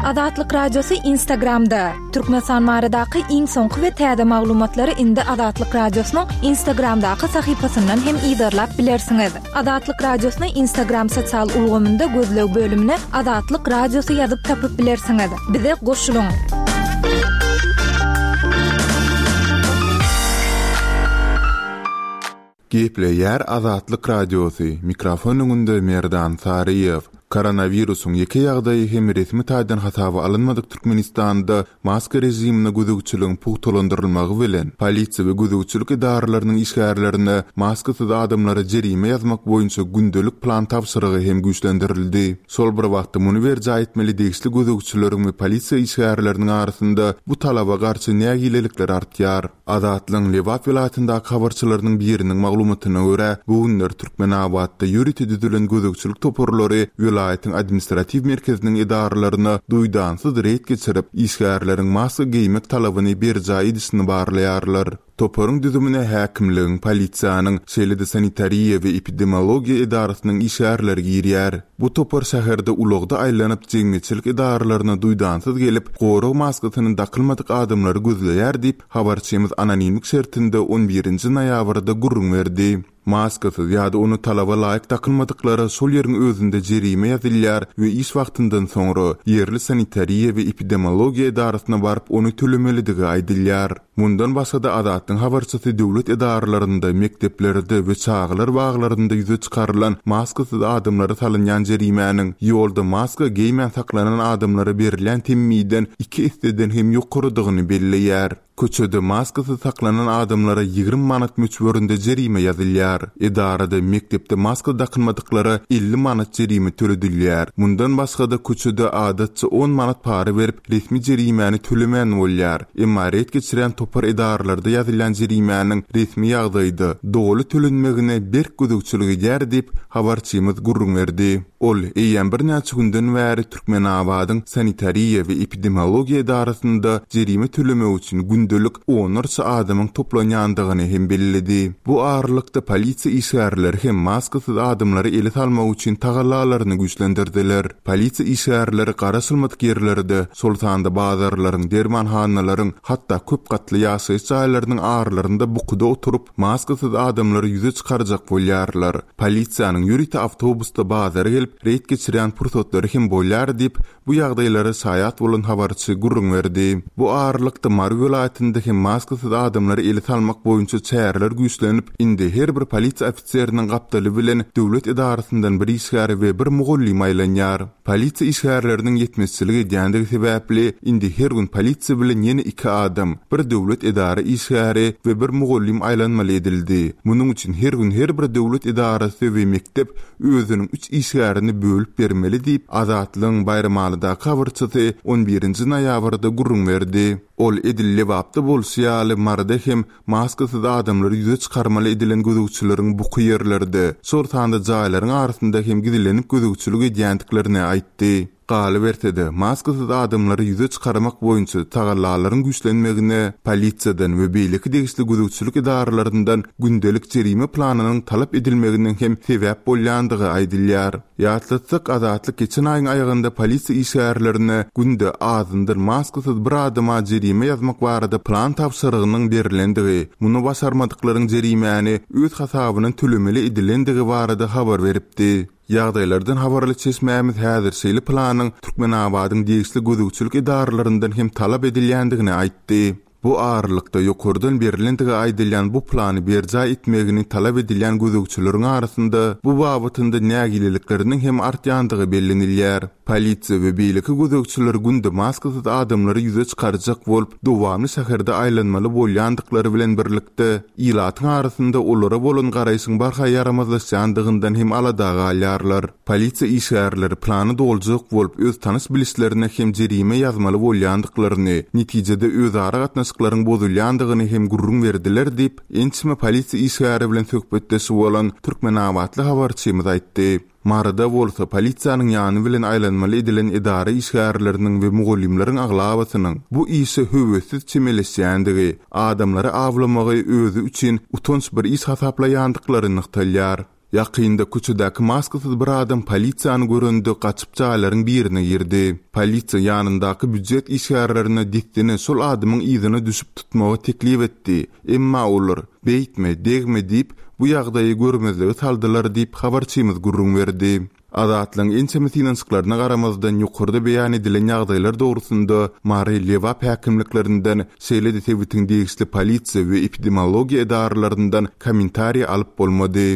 Azatlyk Radiosy Instagramda. Türkmenistan baradaky iň soňky we täze maglumatlary indi Azatlyk Radiosynyň Instagramdaky sahypasyndan hem yzarlap bilersiňiz. Azatlyk Radiosyny Instagram sosial ulgamynda gözleg bölümine Azatlyk Radiosy ýazyp tapyp bilersiňiz. Bize goşulyň! Gepleýär Azatlyk Radiosy, mikrofon öňünde Merdan Saryýew. Koronawirusyň ýeke ýagdaýy hem resmi taýdan hasaba alynmadyk Türkmenistanda maska režimine gözegçiligiň pugtalandyrylmagy bilen, polisiýa we gözegçilik edaralarynyň işgärlerine maskasyz adamlara jerime ýazmak boýunça gündelik plan tabşyrygy hem güýçlendirildi. Şol bir wagtda muny berjaý etmeli degişli gözegçileriň we polisiýa işgärleriniň arasynda bu talaba garşy nägilelikler artýar. Azatlygyň Lebap welaýatyndaky habarçylarynyň biriniň maglumatyna görä, bu günler Türkmenabatda ýörite düzülen gözegçilik toparlary welaýatyň administratiw merkeziniň edaralaryna duýdansyz reýd geçirip, işgärleriň maska geýmek talabyny berjaý edişini barlaýarlar. Toparyň düzümine häkimligiň, polisiýanyň, şeýle-de sanitariýa we epidemiologiýa edarasynyň işgärleri girýär. Bu topar şäherde ulagda aýlanyp, jemgyýetçilik edaralaryna duýdansyz gelip, gorag maskasyny dakylmadyk adamlary gözleýär diýip, habarçymyz anonimlik şertinde on birinji noýabrda gürrüň berdi. Maskasyz ýa-da ony talaba laýyk dakynmadyklara şol ýeriň özünde jerime ýazylýar we iş wagtyndan soňra, ýerli sanitariýa we epidemiologiýa edarasyna baryp ony tölemelidigi aýdylýar. Mundan başga-da Azatlygyň habarçysy döwlet edaralarynda, mekdeplerde we çagalar baglarynda ýüze çykarylan maskasyz adamlara salynýan jerimäniň, ýolda maska geýmän saklanan adamlara berilýän temmiden iki esseden hem ýokarydygyny belleýär. Köçede maskasyz saklanan adamlara 20 manat möçberinde jerime ýazylýar. Edarada, mekdepde maska dakynmadyklara 50 manat jerime töledilýär. Mundan başga-da köçede adatça on manat para berip, resmi jerimäni tölemän bolýar. Emma ret geçirýän topar edaralarda ýazylýan jerimäniň resmi ýagdaýda, doly tölenmegine berk gözegçilik edýär diýip, habarçymyz gürrüň berdi. Ol eýýäm birnäçe günden bäri Türkmenabadyň Sanitariýa we epidemiologiýa edarasynda jerime tölemek üçin gündelik onlarça adamyň toplanýandygyny hem belledi. Bu aralykda polisiýa işgärleri hem maskasyz adamlary ele salmak üçin tagallalaryny güýçlendirdiler. Polisiýa işgärleri garaşylmadyk ýerlerde, şol sanda bazarlaryň, dermanhanalaryň, hatda köp gatly ýaşaýyş jaýlarynyň aralarynda bukuda oturyp, maskasyz adamlary ýüze çykarjak bolýarlar. Polisiýanyň ýörite awtobusda bazara gelip, reýd geçirýän pursatlary hem bolýar diýip, bu ýagdaýlara şaýat bolan habarçy gürrüň berdi. Bu aralykda, Mary welaýatynda hem maskasyz adamlary ele salmak boýunça çäreler güýçlenip, indi her bir polisiýa ofiseriniň gapdaly bilen döwlet edarasyndan bir işgär we bir mugallym aýlanýar. Polisiýa işgärleriniň ýetmezçilik edýändigi sebäpli, indi her gün polisiýa bilen ýene iki adam, bir döwlet edara işgäri we bir mugallym aýlanmaly edildi. Munuň üçin her gün her bir döwlet edarasy we mekdep özüniň üç işgärini bölüp bermeli diýip, Azatlygyň Baýramalydaky habarçysy on birinji noýabrda gürrüň berdi. Ol edil Lebapda bolşy ýaly, Maryda hem Maskasyz adamlary ýüze çykarmaly edilen gözegçileriň buky ýerlerde, şol sanda jaýlaryň arasynda hem gizlenip gözegçilik edýändiklerini aýtdy. Galyberse-de, maskasyz adamlary ýüze çykarmak boýunça tagallalaryň güýçlenmegine polisiýadan we beýleki degişli gözegçilik edaralaryndan gündelik jerime planynyň talap edilmeginiň hem sebäp bolýandygy aýdylýar. Ýatlatsak, Azatlyk geçen aýyň aýagynda polisiýa işgärlerine günde azyndan maskasyz bir adama jerime ýazmak barada plan tabşyrygynyň berlendigi, muny başarmadyklaryň jerimäni öz hasabyndan tölemeli edilendigi barada habar beripdi. Ýagdaýlardan habarly çeşmämiz häzir şeýle planyň Türkmenabadyň degişli gözegçilik edaralaryndan hem talap edilýändigini aýtdy. Bu aralykda, ýokardan berlendigi aýdylýan bu plany berjaý etmegini talap edilýän gözegçileriň arasynda bu babatynda nägilelikleriniň hem artýandygy bellenilýär. Polisiýa we beýleki gözegçiler günde maskasyz adamlary ýüze çykarjak bolup, dowamly şäherde aýlanmaly bolýandyklary bilen birlikde, ilatyň arasynda olara bolan garaýşyň barha ýaramazlaşýandygyndan hem alada galýarlar. Polisiýa işgärleri plany doljak bolup, öz tanyş-bilişlerine hem jerime ýazmaly bolýandyklaryny, netijede özara gatnaşyklaryň bozulýandygyny hem gürrüň berdiler diýip, ençeme polisiýa işgäri bilen söhbetdeş bolan türkmenabatly habarçymyz aýtdy. Maryda bolsa polisiýanyň ýany bilen aýlanmaly edilen edara işgärleriniň we mugallymlaryň aglabasynyň bu işe höwessiz çemeleşýändigi, adamlary awlamagy özi üçin utanç bir iş hasaplaýandyklary nygtalýar. Ýakynda köçedäki maskasyz bir adam polisiýany görende gaçyp jaýlaryň birine girdi. Polisiýa ýanyndaky býujet işgärlerine dessine şol adamyň yzyna düşüp tutmagy teklip etdi. Emma olar, Beýtme, degme diýip, bu ýagdaýy görmezlige saldylar diýip, habarçymyz gürrüň berdi. Azatlygyň ençeme synanyşyklaryna garamazdan, ýokarda beýan edilen ýagdaýlar dogrusynda Mary, Lebap häkimliklerinden, şeýle-de sebitiň degişli polisiýa we epidemiologiýa edaralaryndan kommentariý alyp bolmady.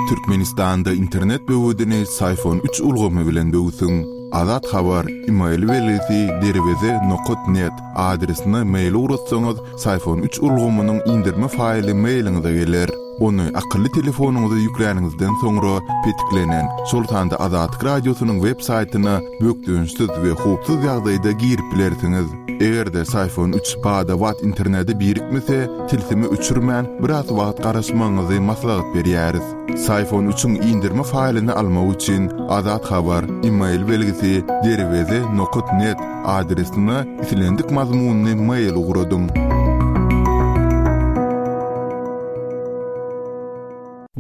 Türkmenistanda internet böwedini Syfon üç ulgamy bilen böwsüň. Azat Habar, email belgisi derweze nokat net adresine mail ugratsaňyz, Syfon üç ulgamynyň inderme faýly mailiňize geler. Ony akylly telefonyňyza ýükläniňizden soňra petiklenen, şol sanda Azatlyk Radiosynyň web saýtyna bökdençsiz we howpsuz ýagdaýda girip bilersiňiz. Eger-de Syfon üç bada-bat internete birikmese, tilsimi öçürmän, biraz wagt garaşmagyňyzy maslahat berýäris. Syfon üçiň indirme faýlyny almak üçin Azat Habar, email belgisi derweze nokat net adresine islendik mazmunly mail ugradyň.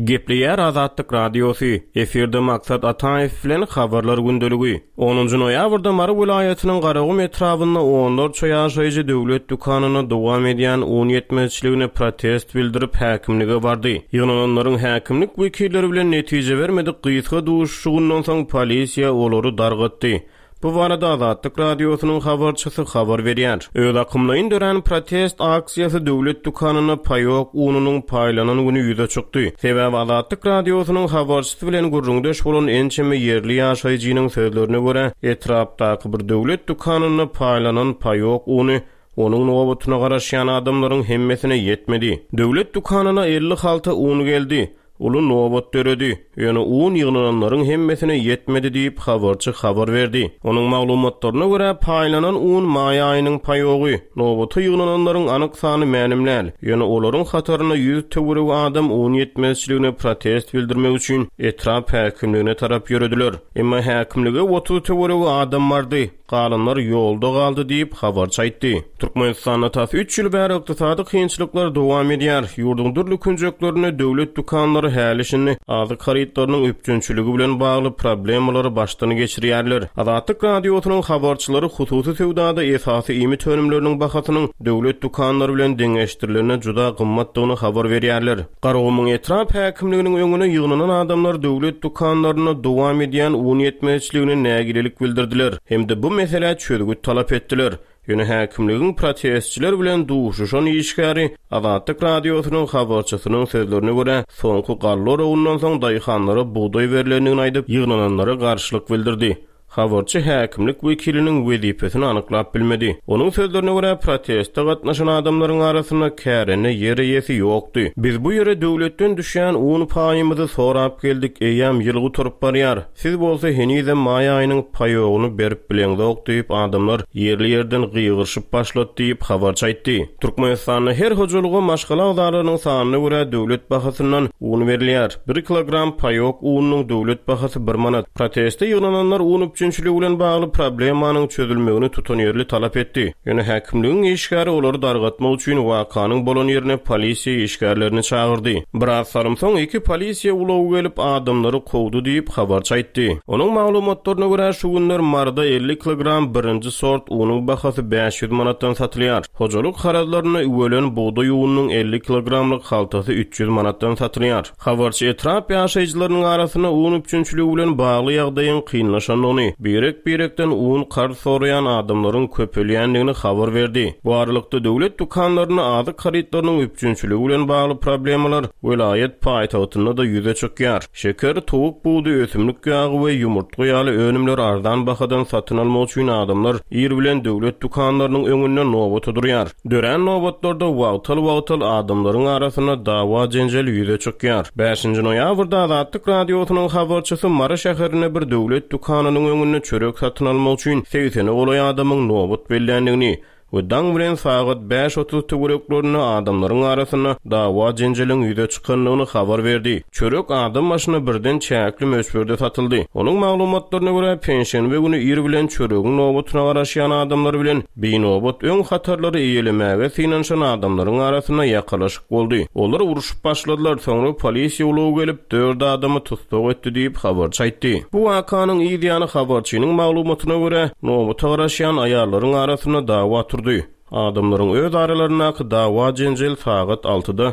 Gepleýär Azatlyk Radiosy, efirde Maksat Ataýew bilen Habarlar gündeligi. Onunjy noýabrda Mary welaýatynyň Garagum etrabynda onlarça ýaşaýjy döwlet dükanynda dowam edýän un ýetmezçiligine protest bildirip, häkimlige bardy. Ýygnananlaryň häkimlik wekilleri bilen netije bermedik gysga duşuşygyndan soň polisiýa olary dargatdy. Bu barada Azatlyk Radiosynyň habarçysy habar berýär. Özakymlaýyn dörän protest aksiýasy döwlet dükanynda paýok ununyň paýlanan güni ýüze çykdy. Sebäbi Azatlyk Radiosynyň habarçysy bilen gürrüňdeş bolan ençeme ýerli ýaşaýjynyň sözlerine görä, etrapdaky bir döwlet dükanynda paýlanan paýok uny onuň nobatyna garaşýan adamlaryň hemmesine ýetmedi. Döwlet dükanyna 50 halta un geldi. Uly nobat döredi, ýöne un ýygnananlaryň hemmesine ýetmedi diýip, habarçy habar berdi. Onuň maglumatlaryna görä, paýlanan un maý aýynyň paýogy. Nobata ýygnananlaryň anyk sany mälim däl, ýöne olaryň hatarynda 100 töweregi adam un ýetmezçiligine protest bildirmek üçin etrap häkimligine tarap ýörediler. Emma häkimlige 30 töweregi adam bardy. Galanlar ýolda galdy diýip, habarçy aýtdy. Türkmenistanda tas üç ýyl bäri ykdysady kynçylyklar dowam edýär. Ýurduň dürli künjeklerinde döwlet dükanlary häli-şindi azyk harytlarynyň üpjünçiligi bilen bagly problemalary başdan geçirýärler. Azatlyk Radiosynyň habarçylary hususy söwdada esasy iýmit önümleriniň bahasynyň döwlet dükanlary bilen deňeşdirilende juda gymmatdygyny habar berýärler. Garagumuň etrap häkimliginiň öňüne ýygnanan adamlar döwlet dükanlarynda dowam edýän un ýetmezçiligine nägilelik bildirdiler hem-de bu meselä çözgüt talap etdiler. Ýöne häkimligiň protestçiler bilen duşuşan işgäri Azatlyk Radiosynyň habarçysynyň sözlerine görä, soňky galla oragyndan soň daýhanlara bugdaý berlendigini aýdyp, ýygnananlara garşylyk bildirdi. Habarçy häkimlik wekiliniň wezipesini anyklap bilmedi. Onuň sözlerine görä, proteste gatnaşan adamlaryň arasynda kärende ýer eýesi ýokdy. Biz bu ýere döwletden düşýän un paýymyzy sorap geldik, eýýäm ýyl gutaryp barýar. Siz bolsa henizem maý aýynyň paýogyny berip bileňzok diýip, adamlar ýerli-ýerden gygyryşyp başlady diýip, habarçy aýtdy. Türkmenistanda her hojalyga maşgala agzalarynyň sanyna görä döwlet bahasyndan un berilýär. Bir kilogram paýok ununyň döwlet bahasy bir manat. Proteste ýygnananlar un üpjünçiligi bilen bagly problemanyň çözülmegini tutanýerli talap etdi. Ýöne häkimligiň işgäri olary dargatmak üçin wakanyň bolan ýerine polisiýa işgärlerini çagyrdy. Biraz salym soň iki polisiýa ulagy gelip, adamlary kowdy diýip, habarçy aýtdy. Onuň maglumatlaryna görä, şu günler Maryda 50 kilogram birinji sort unuň bahasy 500 manatdan satylýar. Hojalyk harazlarynda üwelen bugdaý ununyň 50 kilogramlyk haltasy 300 manatdan satylýar. Habarçy etrap ýaşaýjylarynyň arasynda un üpjünçiligi bilen bagly ýagdaýyň kynlaşandygyny, birek-birekden un karz soraýan adamlaryň köpelýändigini habar berdi. Bu aralykda, döwlet dükanlarynda azyk harytlarynyň üpjünçiligi bilen bagly problemalar welaýat paýtagtynda-da ýüze çykýar. Şeker, towuk budy, ösümlik ýagy we ýumurtga ýaly önümleri arzan bahadan satyn almak üçin adamlar ir bilen döwlet dükanlarynyň öňünde nobata durýar. Dörän nobatlarda wagtal-wagtal adamlaryň arasynda dawa-jenjel ýüze çykýar. Bäşinji noýabrda Azatlyk Radiosynyň habarçysy Mary şäherinde bir döwlet dükanynyň öňünde çörek satyn almak üçin segsene golaý adamyň nobat belländigini, we daň bilen sagat 5:30 töwereklerinde adamlaryň arasynda dawa-jenjeliň ýüze çykandygyny habar berdi. Çörek adam başyna birden çäkli möçberde satyldy. Onuň maglumatlaryna görä, penşenbe güni ir bilen çöregiň nobatyna garaşýan adamlar bilen binobat öň hatarlary eýelemäge synanyşan adamlaryň arasynda ýakalaşyk boldy. Olar urşup başladylar, soňra polisiýa ulagy gelip, dört adamy tussag etdi diýip, habarçy aýtdy. Bu wakanyň yz ýany habarçynyň maglumatyna görä, nobata garaşýan aýallaryň arasynda dawa turdy. Adamlaryň öz aralaryndaky dawa-jenjel sagat altyda,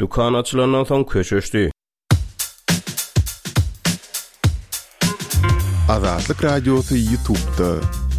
dükan açylandan soň köşeşdi. Azatlyk Radiosy Ýutubda.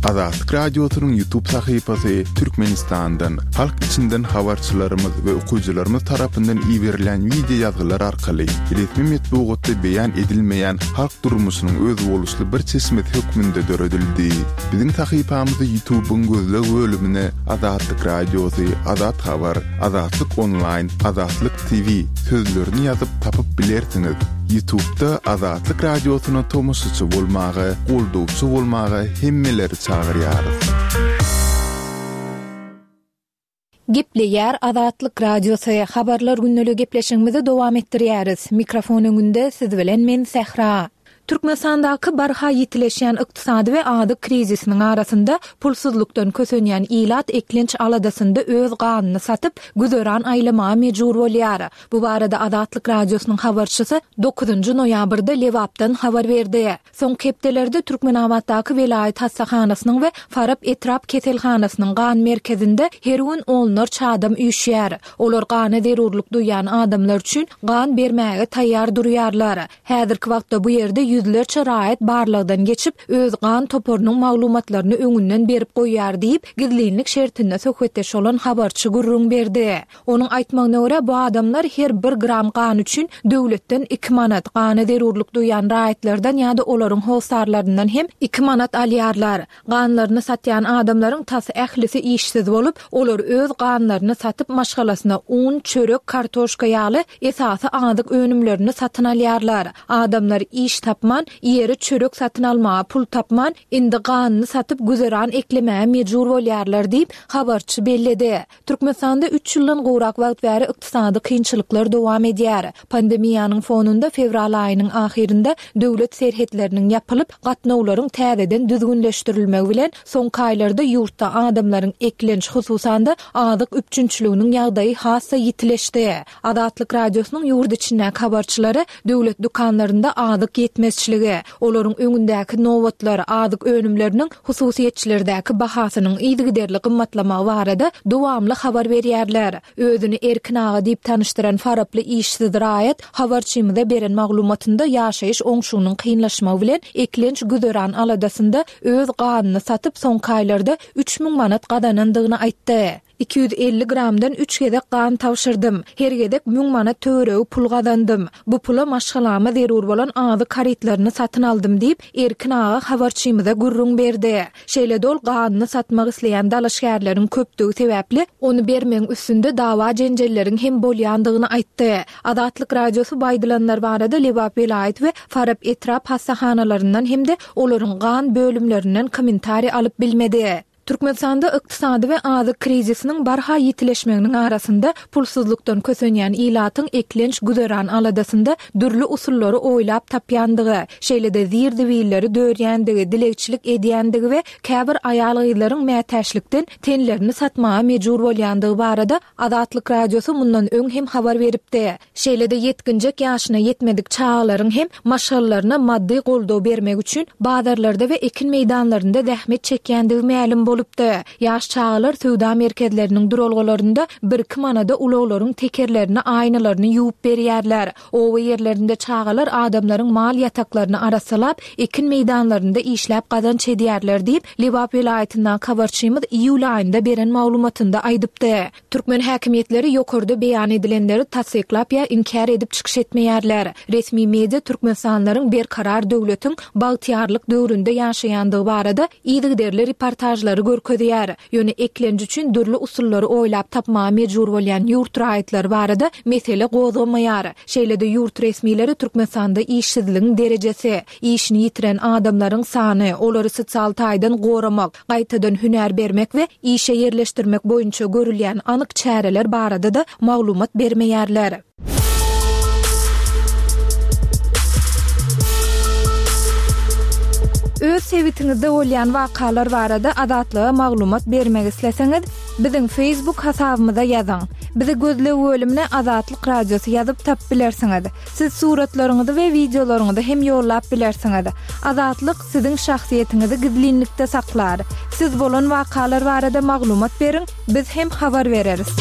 Azatlyk Radiosynyň Ýutub sahypasy Türkmenistandan, halk içinden habarçylarymyz we okyjylarymyz tarapyndan iberilýän wideo ýazgylar arkaly resmi metbugatda beýan edilmeýän halk durmuşynyň özboluşly bir çeşmesi hökmünde döredildi. Biziň sahypamyzy Ýutubyň gözleg bölümine Azatlyk Radiosy, Azat Habar, Azatlyk Onlaýn, Azatlyk TV sözlerini ýazyp tapyp bilersiňiz. Ýutubda Azatlyk Radiosyna tomaşaçy bolmaga, goldawçy bolmaga hemmeleri çagyrýarys. Gepleýär Azatlyk Radiosy, Habarlar gündeligi gepleşigimizi dowam etdirýäris. Mikrofon öňünde siz bilen men Sähra. Türkmenistandaky barha ýitileşýän ykdysady we azyk krizisiniň arasynda pulsuzlykdan kösenýän ilat eklenç aladasynda öz ganyny satyp, güzeran aýlamaga mejbur bolýar. Bu barada Azatlyk Radiosynyň habarçysy dokuzynjy noýabrda Lebapdan habar berdi. Soňky hepdelerde Türkmenabatdaky welaýat hassahanasynyň we Farap etrap keselhanasynyň gan merkezinde her gün onlarça adam üýşýär. Olar gana zerurlyk duýýan adamlar üçin gan bermäge taýýar durýarlar. Häzirki wagtda bu ýerde ýüzlerçe raýat barlagdan geçip, öz gan toparynyň maglumatlaryny öňünden berip goýýar diýip, gizlinlik şertinde söhbetdeş bolan habarçy gürrüň berdi. Onuň aýtmagyna görä, bu adamlar her bir gram gan üçin döwletden iki manat, gana zerurlyk duýýan raýatlardan ýa-da olaryň hossarlaryndan hem iki manat alýarlar. Ganlaryny satýan adamlaryň tas ählisi işsiz bolup, olar öz ganlaryny satyp maşgalasyna un, çörek, kartoşka ýaly esasy azyk önümlerini satyn alýarlar. Adamlar iş tapman, iýere çörek satyn almaga pul tapman, indi ganyny satyp güzeran eklemäge mejbur bolýarlar diýip, habarçy belledi. Türkmenistanda üç ýyldan gowrak wagt bäri ykdysady kynçylyklar dowam edýär. Pandemiýanyň fonunda fewral aýynyň ahyrynda döwlet serhetleriniň ýapylyp, gatnawlaryň täzeden düzgünleşdirilmegi bilen, soňky aýlarda ýurtda adamlaryň eklenç, hususan-da, azyk üpjünçiliginiň ýagdaýy has-da ýitileşdi. Azatlyk Radiosynyň ýurt içindäki habarçylary döwlet dükanlarynda azyk ýetmezçiligi, olaryň öňündäki nobatlar, azyk önümleriniň hususyýetçilerdäki bahasynyň yzygiderli gymmatlamagy barada dowamly habar berýärler. Özüni Erkin aga diýip tanyşdyran faraply işsiz raýat habarçymyza beren maglumatynda ýaşaýyş oňşugynyň kynlaşmagy bilen eklenç-güzeran aladasynda öz ganyny satyp, soňky aýlarda 3000 manat gazanandygyny aýtdy. 250 gramdan üç gezek gan tabşyrdym. Her gezek müň manat töweregi pul gazandym. Bu pula maşgalama zerur bolan azyk harytlaryny satyn aldym diýip, Erkin aga habarçymyza gürrüň berdi. Şeýle-de ol ganyny satmak isleýän dalaşgärleriň köpdügi sebäpli, ony bermegiň üstünde dawa-jenjelleriň hem bolýandygyny aýtdy. Azatlyk Radiosy bu aýdylanlar barada Lebap welaýat we Farap etrap hassahanalaryndan hem-de olaryň gan bölümlerinden kommentariý alyp bilmedi. Türkmenistanda ykdysady we azyk krizisiniň barha ýitileşmeginiň arasynda, pulsuzlykdan kösenýän ilatyň eklenç-güzeran aladasynda dürli usullary oýlap tapýandygy, şeýle-de zir-zibilleri dörýändigi, dilegçilik edýändigi we käbir aýal-gyzlaryň mätäçlikden tenlerini satmaga mejbur bolýandygy barada Azatlyk Radiosy mundan öň hem habar beripdi. Şeýle-de ýetginjek ýaşyna ýetmedik çagalaryň hem maşgalalaryna maddy goldaw bermek üçin bazarlarda we ekin meýdanlarynda zähmet çekýändigi mälim bolupdy. Ýaş çagalar söwda merkezleriniň duralgalarynda birki manada ulaglaryň tekerlerini, aýnalaryny ýuwup berýärler. Oba ýerlerinde çagalar adamlaryň mal ýataklaryny arassalap, ekin meýdanlarynda işläp gazanç edýärler diýip, Lebap welaýatyndaky habarçymyz iýul aýynda beren maglumatynda aýdypdy. Türkmen häkimiýetleri ýokarda beýan edilenleri tassyklap ýa inkär edip çykyş etmeýärler. Resmi media türkmenistanlylaryň berkarar döwletiň bagtyýarlyk döwründe ýaşaýandygy barada yzygiderli reportažlary. görkezýär. Ýöne eklenç üçin dürli usullary oýlap tapmaga mejbur bolýan ýurt raýatlary barada mesele gozgamaýar. Şeýle-de ýurt resmileri Türkmenistanda işsizligiň derejesi, işini ýitiren adamlaryň sany, olary sosial taýdan goramak, gaýtadan hünär bermek we işe ýerleşdirmek boýunça görülýän anyk çäreler barada-da maglumat bermeýärler. Öz sebitiňizde bolýan wakalar barada Azatlyga maglumat bermek isleseňiz, biziň Facebook hasabymyza ýazyň. Bizi gözleg bölümine Azatlyk Radiosy ýazyp tapyp bilersiňiz. Siz suratlaryňyzy we wideolaryňyzy hem ýollap bilersiňiz. Azatlyk siziň şahsyýetiňizi gizlinlikde saklar. Siz bolan wakalar barada maglumat beriň, biz hem habar bereris.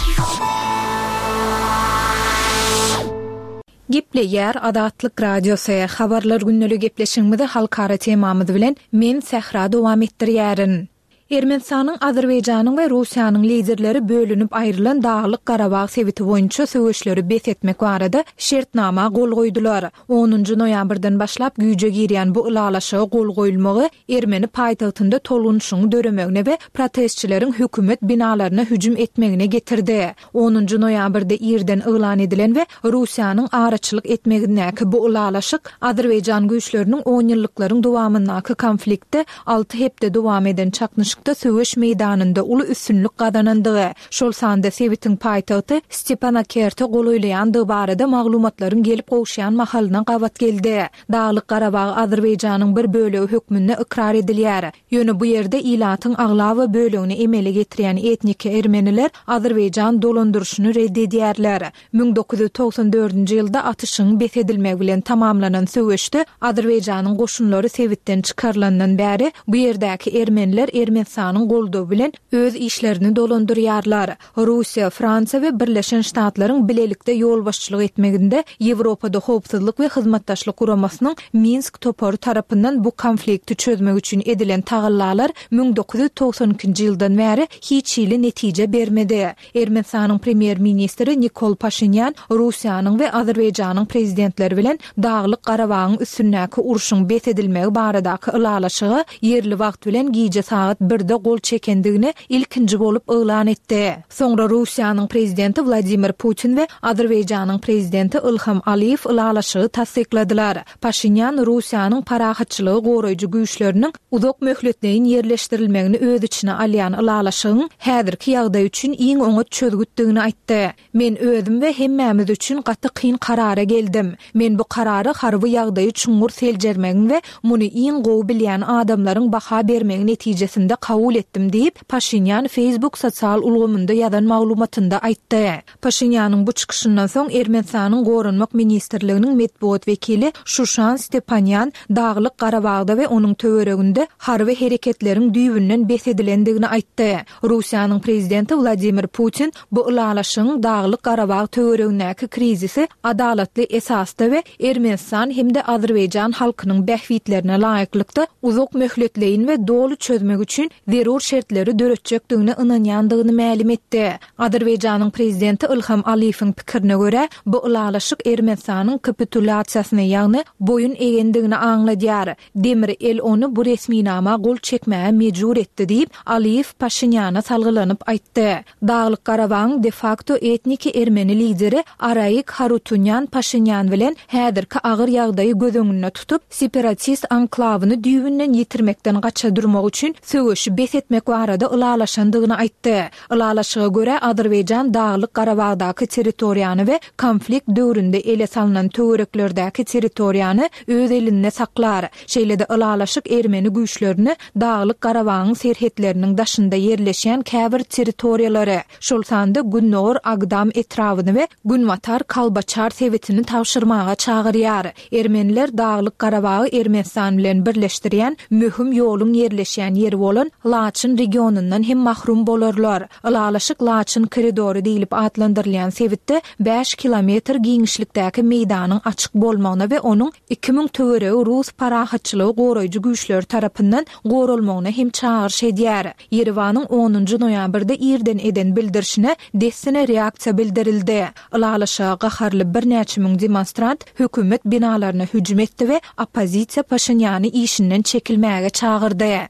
Gepleýär Azatlyk Radiosy, Habarlar gündelik gepleşigimizi halkara temamyz bilen men Sähra dowam etdirýärin. Ermenistanyň, Azerbaýjanyň we Russiýanyň liderleri bölünip aýrylan Daglyk-Garabag sebiti boýunça söweşleri bes etmek barada şertnama gol goýdular. Onunjy noýabrdan başlap güýje girýän bu ylalaşyga gol goýulmagy ermeni paýtagtynda tolgunyşygyň döremegine we protestçileriň hökümet binalaryna hüjüm etmegine getirdi. Onunjy noýabrda irden yglan edilen we Russiýanyň araçylyk etmegindäki bu ylalaşyk azerbaýjan güýçleriniň onýyllyklaryň dowamyndaky konfliktde alty hepde dowam eden çaknyşykda söweş meýdanynda uly üstünlik gazanandygy, şol sanda sebitiň paýtagty Stepanakerte golaýlaýandygy barada maglumatlaryň gelip gowuşýan mahalyna gabat geldi. Daglyk-Garabag Azerbaýjanyň bir bölegi hökmünde ykrar edilýär. Ýöne bu ýerde ilatyň aglaba bölegini emele getirýän etniki ermeniler azerbaýjan dolandyryşyny red edýärler. 1994-nji ýylda atyşygyň bes edilmegi bilen tamamlanan söweşde Azerbaýjanyň goşunlary sebitden çykarylandan bäri bu ýerdäki ermeniler Ermenistanyň goldawy bilen öz işlerini dolandyrýarlar. Russiýa, Fransiýa we Birleşen Ştatlaryň bilelikde ýolbaşçylyk etmeginde Ýewropada Howpsuzlyk we Hyzmatdaşlyk Guramasynyň Minsk topary tarapyndan bu konflikti çözmek üçin edilen tagallalar 1992-nji ýyldan bäri hiç hili netije bermedi. Ermenistanyň premýer-ministri Nikol Paşinýan Russiýanyň we Azerbaýjanyň prezidentleri bilen Daglyk-Garabagyň üstündäki urşuň bes edilmegi baradaky ylalaşyga ýerli wagt bilen gije sagat birde gol çekendigini ilkinji bolup yglan etdi. Soňra Russiýanyň prezidenti Wladimir Putin we Azerbaýjanyň prezidenti Ilham Aliýew ylalaşygy tassykladylar. Paşinýan Russiýanyň parahatçylygy goraýjy güýçleriniň uzak möhletleýin ýerleşdirilmegini öz içine alýan ylalaşygyň häzirki ýagdaý üçin iň oňat çözgütdigini aýtdy. Men özüm we hemmämiz üçin gaty kyn karara geldim. Men bu karary harby ýagdaýy çuňňur seljermegiň we muny iň gowy bilýän adamlaryň baha bermegi netijesinde kabul etdim diýip, Paşinýan Facebook sosial ulgamynda ýazan maglumatynda aýtdy. Paşinýanyň bu çykyşyndan soň Ermenistanyň Goranmak ministrliginiň metbugat wekili Şuşan Stepanýan Daglyk Garabagda we onuň töwereginde harby hereketleriň düýbünden bes edilendigini aýtdy. Russiýanyň prezidenti Wladimir Putin bu ylalaşygyň Daglyk Garabag töweregindäki krizisi adalatly esasda we Ermenistan hem-de Azerbaýjan halkynyň bähbitlerine laýyklykda uzak möhletleýin we doly çözmek üçin zerur şertleri döretjekdigine ynanýandygyny mälim etdi. Azerbaýjanyň prezidenti Ilham Aliýewiň pikirine görä, bu ylalaşyk Ermenistanyň kapitulýasiýasyny, ýagny boýun egendigini aňladýar. Demir el ony bu resminama gol çekmäge mejbur etdi diýip, Aliýew Paşinýana salgylanyp aýtdy. Daglyk-Garabagyň de-fakto etniki ermeni lideri Araik Harutunýan Paşinýan bilen häzirki agyr ýagdaýy göz öňünde tutup, separatist anklawyny düýbünden ýitirmekden gaça durmak üçin söweşi bes etmek barada ylalaşandygyny aýtdy. Ylalaşyga görä, Azerbaýjan Daglyk-Garabagdaky territoriýany we konflikt döwründe ele salnan töwereklerdäki territoriýany öz elinde saklar. Şeýle-de ylalaşyk ermeni güýçlerini Daglyk-Garabagyň serhetleriniň daşynda ýerleşýän käbir territoriýalary, şol sanda gündogar Agdam etrabyny we günbatar Kalbaçar sebitini tabşyrmaga çagyrýar. Ermeniler Daglyk-Garabagy Ermenistan bilen birleşdirýän möhüm ýoluň ýerleşýän ýeri bolan Laçyn regionyndan hem mahrum bolarlar. Ylalaşyk Laçyn koridory diýlip atlandyrylýan sebitde bäş kilometr giňişlikdäki meýdanyň açyk bolmagyna we onuň 2000 töweregi rus parahatçylygy goraýjy güýçleri tarapyndan goralmagyna hem çagyryş edýär. Ýerewanyň onunjy noýabrda irden eden bildirişine dessine reaksiýa bildirildi. Ylalaşyga gaharly birnäçe müň demonstrant hökümet binalaryna hüjüm etdi we oppozisiýa Paşinýany işinden çekilmäge çagyrdy.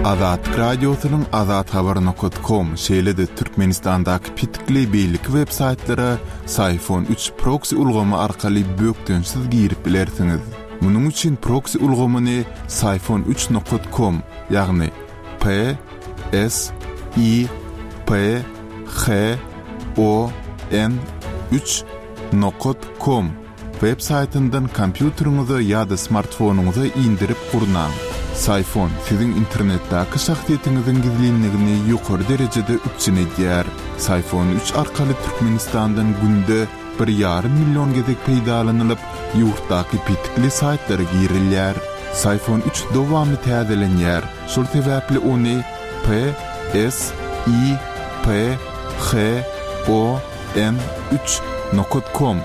Azatlyk Radiosynyň azathabar nokat kom, şeýle-de Türkmenistandaky petikli beýleki web saýtlara Syfon üç proksi ulgamy arkaly bökdençsiz girip bilersiňiz. Munuň üçin proksi ulgamyny Syfon üç nokat kom, ýagny P S I P H O N üç nokat kom web saýtyndan kompýuteriňize ýa-da smartfonyňyza indirip gurnaň. Syfon siziň internetdäki şahsyýetiňiziň gizlinligini ýokary derejede üpjün edýär. Syfon üç arkaly Türkmenistandan günde bir ýarym million gezek peýdalanylyp, ýurtdaky petikli saýtlara girilýär. Syfon üç dowamly täzelenýär, şol sebäpli ony P S I P H O N üç nokat kom,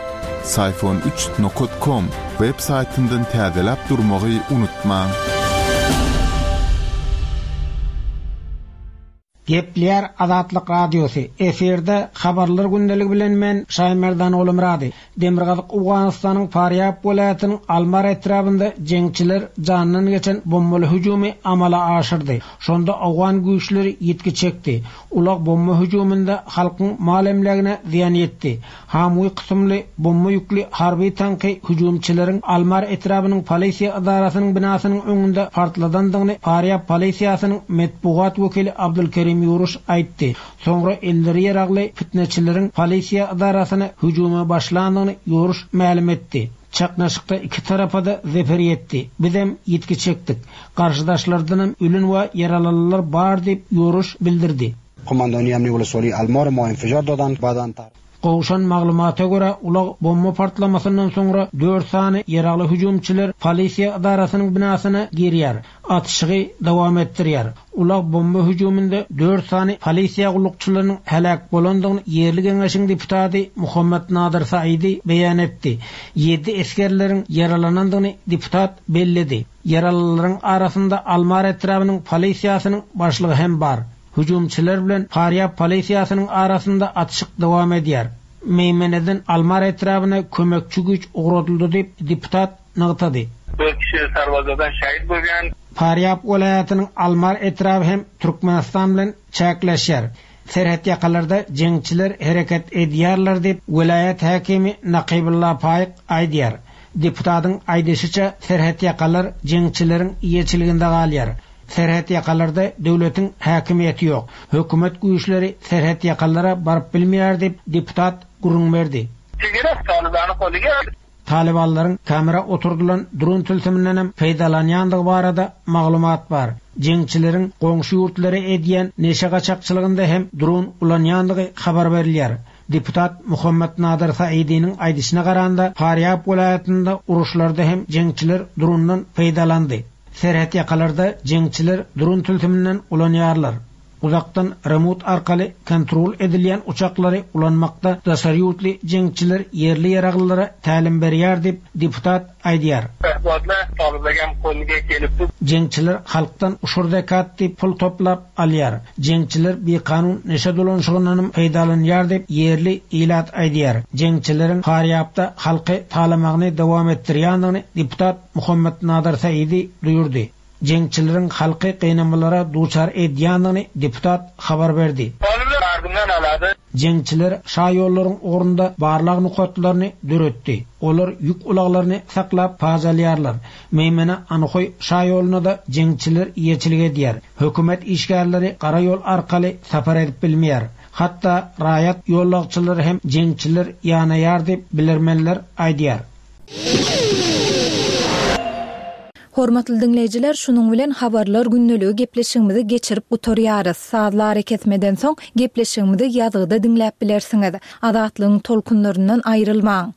Syfon üç nokat kom, web saýtyndan täzeläp durmagy unutmaň. Gepleýär Azatlyk Radiosy, efirde Habarlar gündeligi bilen men Şaýmerdan Ogulmyrady. Demirgazyk Owganystanyň Farýab welaýatynyň Almar etrabynda jeňçiler jandan geçen bombaly hüjümi amala aşyrdy. Şonda owgan güýçleri ýitgi çekdi. Ulag bomba hüjüminde halkyň mal-emlägine zyýan ýetdi. Hamwi kysymly bomba ýükli harby tanky hüjümçileriň Almar etrabynyň polisiýa edarasynyň binasynyň öňünde partladandygyny Farýab polisiýasynyň metbugat wekili Abdulkerim Ýuruş aýtdy. Soňra elleri ýaragly pitneçileriň polisiýa edarasyna hüjüme başlandygyny Ýuruş mälim etdi. Çaknyşykda iki tarapa-da zeper ýetdi. Bizem ýitgi çekdik. Garşydaşlardanam ölen we ýaralanlar bar diýip, Ýoruş bildirdi. Gowşan maglumata görä, ulag bomba partlamasyndan soňra dört sany ýaragly hüjümçiler polisiýa edarasynyň binasyna girýär, atyşygy dowam etdirýär. Ulag bomba hüjüminde dört sany polisiýa gullukçylarynyň heläk bolandygyny ýerli geňeşiň deputady Muhammad Nadir Saidi beýan etdi. Ýedi esgerleriň ýaralanandygyny deputat belledi. Ýaralylaryň arasynda Almar etrabynyň polisiýasynyň başlygy hem bar. Hüjümçiler bilen Farýab polisiýasynyň arasynda atyşyk dowam edýär. Meýmeneden Almar etrabyna kömekçi güýç ugradyldy diýip, deputat nygtady. Dört kişi sarbazadan şehit bolýan. Farýab welaýatynyň Almar etraby hem Türkmenistan bilen çäkleşýär. Serhetýakalarda jeňçiler hereket edýärler diýip, welaýat häkimi Nakybulla Paýyk aýdýar. Deputatyň aýdyşyça, serhetýakalar jeňçileriň eýeçiliginde galýar. Serhetýakalarda döwletiň häkimiýeti ýok. Hökümet güýçleri serhetýakalara baryp bilmeýär diýip, deputat gürrüň berdi. Talybanlaryň kamera oturdylan dron tilsimindenem peýdalanýandygy barada maglumat bar. Jeňçileriň goňşy ýurtlara edýän neşe gaçakçylygynda hem dron ulanýandygy habar berilýär. Deputat Muhammad Nadir Saidiniň aýdyşyna garanda, Farýab welaýatynda uruşlarda hem jeňçiler drondan peýdalandy. Serhetýakalarda jeňçiler dron tilsiminden ulanýarlar. Uzakdan remut arkaly kontrol edilýän uçaklary ulanmakda daşary ýurtly jeňçiler ýerli ýaraglylara tälim berýär diýip, deputat aýdýar. Jeňçiler halkdan uşur-zekat diýip pul toplap alýar. Jeňçiler bikanun neşe dolanyşygyndanam peýdalanýar diýip, ýerli ilat aýdýar. Jeňçileriň Farýabda halky talamagyny dowam etdirýändigini deputat Muhammet Nadir Saidi duýurdy. Jeňçileriň halky gynamalara duçar edýändigini deputat habar berdi. Jeňçiler şaýollaryň ugrunda barlag nokatlaryny döretdi. Olar ýük ulaglaryny saklap paç alýarlar. Meýmene Anhoý şaýoluna-da jeňçiler eýeçilik edýär. Hökümet işgärleri gara ýol arkaly sapar edip bilmeýär. Hatda raýat ýollagçylary hem jeňçiler ýanaýar diýip, bilermenler aýdýar. Hormatly diňleýjiler, şunuň bilen Habarlar gündeligi gepleşigimizi geçirip gutarýarys. Sazly arakesmeden soň, gepleşigimizi ýazgyda diňläp bilersiňiz. Azatlygyň tolkunlaryndan aýrylmaň!